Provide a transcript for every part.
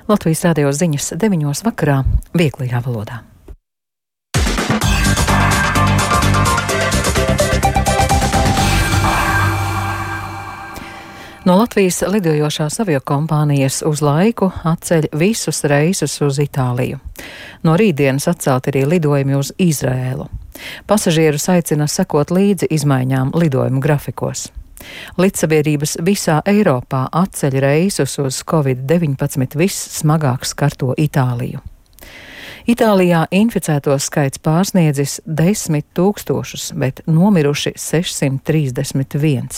Latvijas radio ziņas 9:00 vakarā vieglajā valodā. No Latvijas lidojošās aviokompānijas uz laiku atceļ visus reisus uz Itāliju. No rītdienas atcelt arī lidojumi uz Izraēlu. Pasažierus aicina sekot līdzi izmaiņām lidojumu grafikos. Līdzsabiedrības visā Eiropā atceļ reisus uz Covid-19 vissmagāk skarto Itāliju. Itālijā inficēto skaits pārsniedzis 10 000, bet nomiruši 631.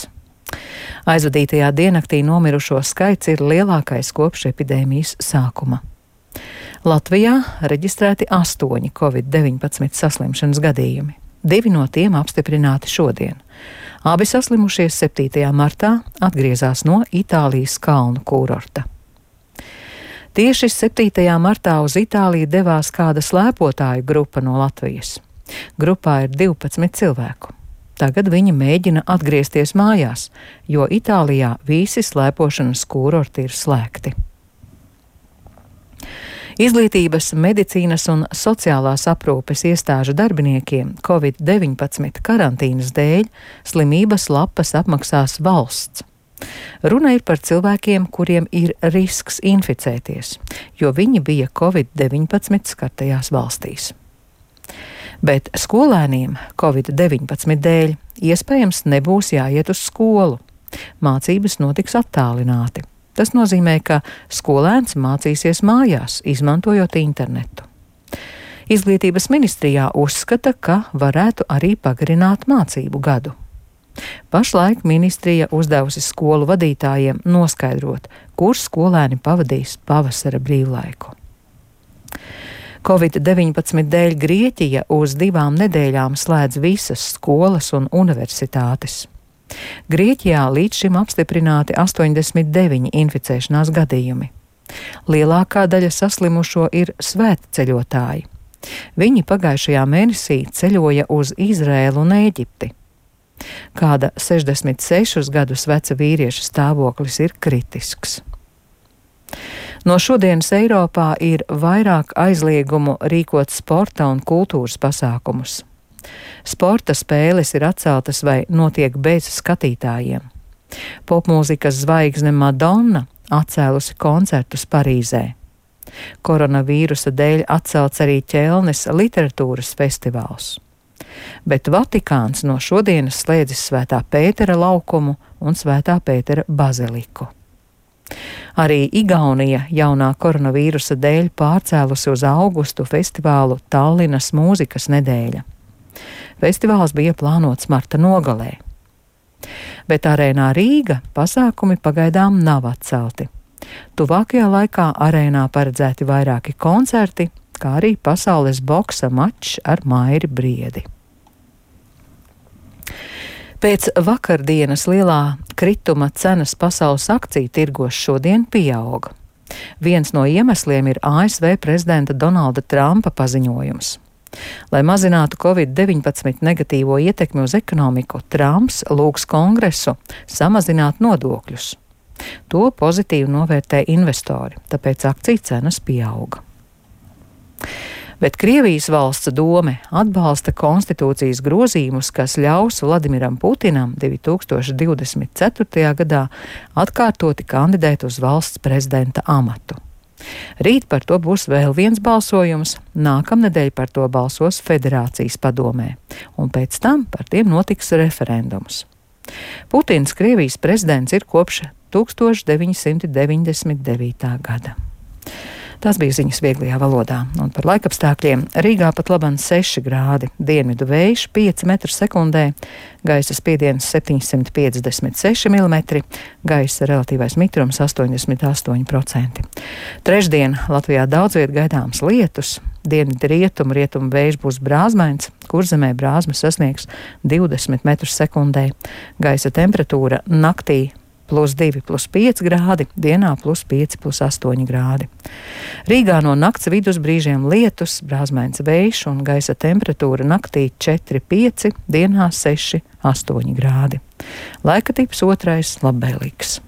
Aizvadītajā diennaktī nomirušo skaits ir lielākais kopš epidēmijas sākuma. Latvijā reģistrēti 8 Covid-19 saslimšanas gadījumi. 2 no tiem apstiprināti šodien. Abi saslimušie 7. martā atgriezās no Itālijas kalnu kurorta. Tieši 7. martā uz Itāliju devās kāda slēpotāju grupa no Latvijas. Grupā ir 12 cilvēku. Tagad viņi mēģina atgriezties mājās, jo Itālijā visi slēpošanas kurorti ir slēgti. Izglītības, medicīnas un sociālās aprūpes iestāžu darbiniekiem Covid-19 karantīnas dēļ slimības lapas apmaksās valsts. Runa ir par cilvēkiem, kuriem ir risks inficēties, jo viņi bija Covid-19 skartajās valstīs. Bet skolēniem Covid-19 dēļ iespējams nebūs jāiet uz skolu. Mācības notiks attālināti. Tas nozīmē, ka skolēns mācīsies mājās, izmantojot internetu. Izglītības ministrijā uzskata, ka varētu arī pagarināt mācību gadu. Pašlaik ministrija uzdevusi skolu vadītājiem noskaidrot, kur skolēni pavadīs pavasara brīvlaiku. Covid-19 dēļ Grieķija uz 2 nedēļām slēdz visas skolas un universitātes. Grieķijā līdz šim apstiprināti 89 inficēšanās gadījumi. Lielākā daļa saslimušo ir svētceļotāji. Viņi pagājušajā mēnesī ceļoja uz Izraēlu un Ēģipti. Kāda 66 gadus veca vīrieša stāvoklis ir kritisks. No šodienas Eiropā ir vairāk aizliegumu rīkot sporta un kultūras pasākumus. Sporta spēles ir atceltas vai notiek bez skatītājiem. Popmūzikas zvaigzne Madonna atcēlusi koncertus Parīzē. Koronavīrusa dēļ atcelts arī Ķelnes literatūras festivāls. Bet Vatikāns no šodienas slēdzis Svētā Pētera laukumu un Svētā Pētera baziliku. Arī Igaunija jaunā koronavīrusa dēļ pārcēlusi uz augustu festivālu Tallinas mūzikas nedēļa. Festivāls bija plānots marta nogalē. Bet arēnā Rīga pasākumi pagaidām nav atcelti. Tuvākajā laikā arēnā paredzēti vairāki koncerti, kā arī pasaules boksa mačs ar Mairi Briedi. Pēc vakardienas lielā krituma cenas pasaules akciju tirgos šodien pieauga. Viens no iemesliem ir ASV prezidenta Donalda Trumpa paziņojums. Lai mazinātu Covid-19 negatīvo ietekmi uz ekonomiku, Trumps lūgs Kongresu samazināt nodokļus. To pozitīvi novērtē investori, tāpēc akciju cenas pieauga. Bet Krievijas valsts dome atbalsta konstitūcijas grozījumus, kas ļaus Vladimiram Putinam 2024. gadā atkārtoti kandidēt uz valsts prezidenta amatu. Rīt par to būs vēl viens balsojums, nākamnedēļ par to balsos Federācijas padomē, un pēc tam par tiem notiks referendums. Putins, Krievijas prezidents, ir kopš 1999. gada. Tās bija ziņas vieglajā valodā, un par laikapstākļiem Rīgā pat laban 6 grādi, dienvidu vējš 5 m/sekundē, gaisa spiediens 756 mm, gaisa relatīvais mitrums 88%. Trešdien Latvijā daudz viet gaidāms lietus, dienvidu rietumu vējš būs brāzmains, Kurzemē brāzma sasniegs 20 m/sekundē, gaisa temperatūra naktī +2, +5 grādi, dienā +5, +8 grādi. Rīgā no nakts vidus brīžiem lietus, brāzmains vējš un gaisa temperatūra naktī 4,5, dienā 6,8 grādi. Laika tips 2 labvēlīgs.